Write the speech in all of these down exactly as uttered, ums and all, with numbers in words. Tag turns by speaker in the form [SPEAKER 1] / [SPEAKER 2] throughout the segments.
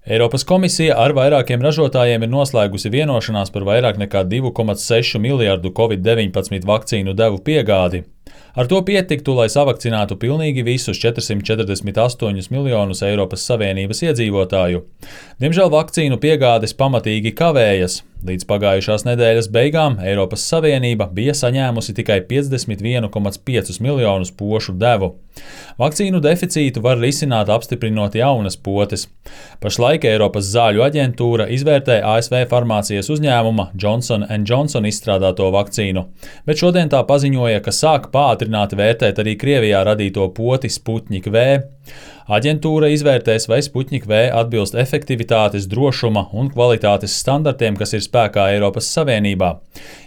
[SPEAKER 1] Eiropas komisija ar vairākiem ražotājiem ir noslēgusi vienošanās par vairāk nekā divu komats sešu miljardu covid deviņpadsmit vakcīnu devu piegādi. Ar to pietiktu, lai savakcinētu pilnīgi visus četrsimt četrdesmit astoņus miljonus Eiropas Savienības iedzīvotāju. Diemžēl vakcīnu piegādes pamatīgi kavējas. Līdz pagājušās nedēļas beigām Eiropas Savienība bija saņēmusi tikai piecdesmit vienu komats piecus miljonus pošu devu. Vakcīnu deficītu var risināt, apstiprinot jaunas potes. Pašlaik Eiropas zāļu aģentūra izvērtē A S V farmācijas uzņēmuma Johnson and Johnson izstrādāto vakcīnu, bet šodien tā paziņoja, ka sāk pātrināti vērtēt arī Krievijā radīto poti Sputnik V. Aģentūra izvērtēs, vai Sputnik V atbilst efektivitātes, drošuma un kvalitātes standartiem, kas ir spēkā Eiropas Savienībā.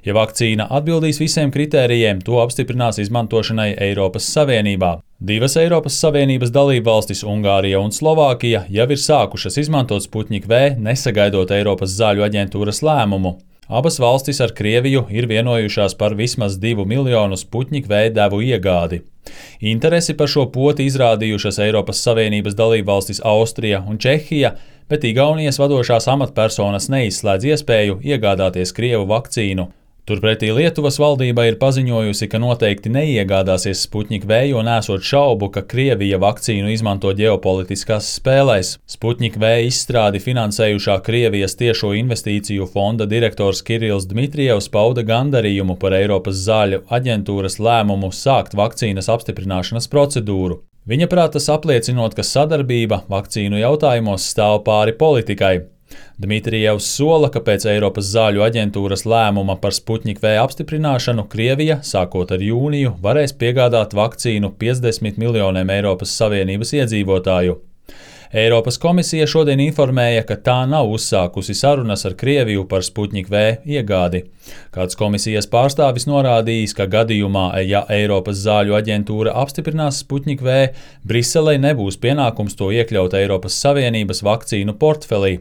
[SPEAKER 1] Ja vakcīna atbildīs visiem kritērijiem, to apstiprinās izmantošanai Eiropas Savienībā. Divas Eiropas Savienības dalībvalstis, Ungārija un Slovākija, jau ir sākušas izmantot Sputnik V, nesagaidot Eiropas zāļu aģentūras lēmumu. Abas valstis ar Krieviju ir vienojušās par vismaz divu miljonu Sputnik V devu iegādi. Interesi par šo poti izrādījušas Eiropas Savienības dalībvalstis Austrija un Čehija, bet Igaunijas vadošās amatpersonas neizslēdz iespēju iegādāties Krievu vakcīnu. Turpretī Lietuvas valdība ir paziņojusi, ka noteikti neiegādāsies Sputnik V, jo nesot šaubu, ka Krievija vakcīnu izmanto ģeopolitiskās spēlēs. Sputnik V izstrādi finansējušā Krievijas tiešo investīciju fonda direktors Kirills Dmitrijevs pauda gandarījumu par Eiropas zāļu aģentūras lēmumu sākt vakcīnas apstiprināšanas procedūru. Viņa prāt tas apliecinot, ka sadarbība vakcīnu jautājumos stāv pāri politikai. Dmitrijevs sola, ka pēc Eiropas zāļu aģentūras lēmuma par Sputnik V apstiprināšanu Krievija, sākot ar jūniju, varēs piegādāt vakcīnu piecdesmit miljoniem Eiropas Savienības iedzīvotāju. Eiropas komisija šodien informēja, ka tā nav uzsākusi sarunas ar Krieviju par Sputnik V iegādi. Kāds komisijas pārstāvis norādījis, ka gadījumā, ja Eiropas zāļu aģentūra apstiprinās Sputnik V, Briselei nebūs pienākums to iekļaut Eiropas Savienības vakcīnu portfelī.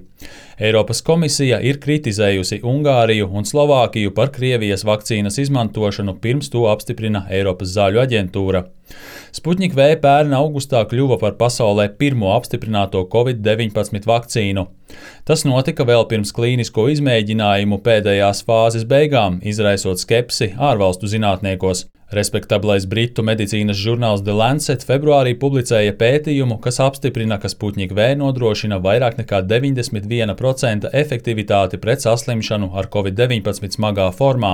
[SPEAKER 1] Eiropas komisija ir kritizējusi Ungāriju un Slovākiju par Krievijas vakcīnas izmantošanu, pirms to apstiprina Eiropas zāļu aģentūra. Sputnik V pērn augustā kļuva par pasaulē pirmo apstiprināto covid deviņpadsmit vakcīnu. Tas notika vēl pirms klīnisko izmēģinājumu pēdējās fāzes beigām, izraisot skepsi ārvalstu zinātniekos. Respektablais britu medicīnas žurnāls The Lancet februārī publicēja pētījumu, kas apstiprina, ka Sputnik V nodrošina vairāk nekā deviņdesmit viena procenta efektivitāti pret saslimšanu ar covid deviņpadsmit smagā formā.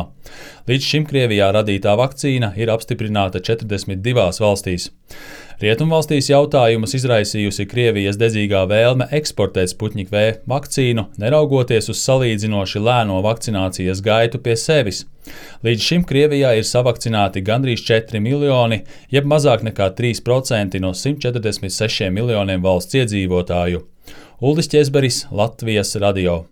[SPEAKER 1] Līdz šim Krievijā radītā vakcīna ir apstiprināta četrdesmit divās valstīs. Rietumvalstīs jautājumus izraisījusi Krievijas dedzīgā vēlme eksportēt Sputnik V vakcīnu, neraugoties uz salīdzinoši lēno vakcinācijas gaitu pie sevis. Līdz šim Krievijā ir savakcinēti gandrīz četri miljoni, jeb mazāk nekā trīs procenti no simt četrdesmit sešiem miljoniem valsts iedzīvotāju. Uldis Ķezberis, Latvijas radio.